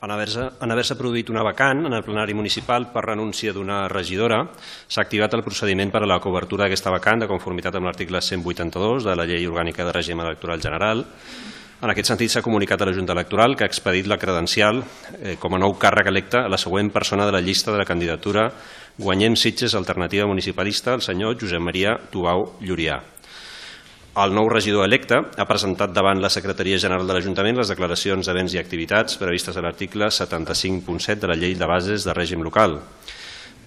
En haver-se produït una vacant en el plenari municipal per renúncia d'una regidora, s'ha activat el procediment per a la cobertura d'aquesta vacant de conformitat amb l'article 182 de la Llei Orgànica de Règim Electoral General. En aquest sentit, s'ha comunicat a la Junta Electoral que ha expedit la credencial com a nou càrrec electe a la següent persona de la llista de la candidatura Guanyem Sitges Alternativa Municipalista, el senyor Josep Maria Tubau Llurià. El nou regidor electe ha presentat davant la Secretaria General de l'Ajuntament les declaracions de béns i activitats previstes a l'article 75.7 de la Llei de Bases de Règim Local.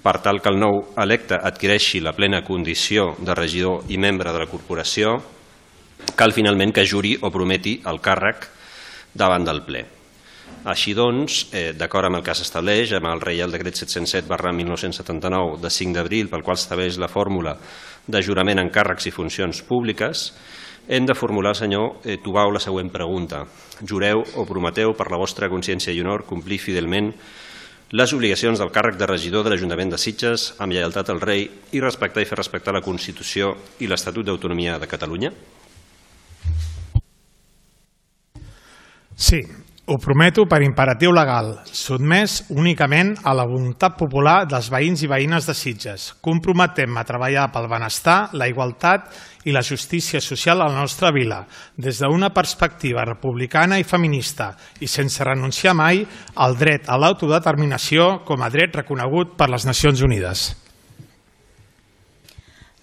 Per tal que el nou electe adquireixi la plena condició de regidor i membre de la corporació, cal finalment que juri o prometi el càrrec davant del ple. Així doncs, d'acord amb el que s'estableix amb el Reial Decret 707/1979 de 5 d'abril, pel qual s'estableix la fórmula de jurament en càrrecs i funcions públiques, hem de formular al senyor Tubau la següent pregunta. Jureu o prometeu per la vostra consciència i honor complir fidelment les obligacions del càrrec de regidor de l'Ajuntament de Sitges amb lleialtat al rei i respectar i fer respectar la Constitució i l'Estatut d'Autonomia de Catalunya? Sí, ho prometo per imperatiu legal, sotmès únicament a la voluntat popular dels veïns i veïnes de Sitges. Comprometem-me a treballar pel benestar, la igualtat i la justícia social a la nostra vila, des d'una perspectiva republicana i feminista i sense renunciar mai al dret a l'autodeterminació com a dret reconegut per les Nacions Unides.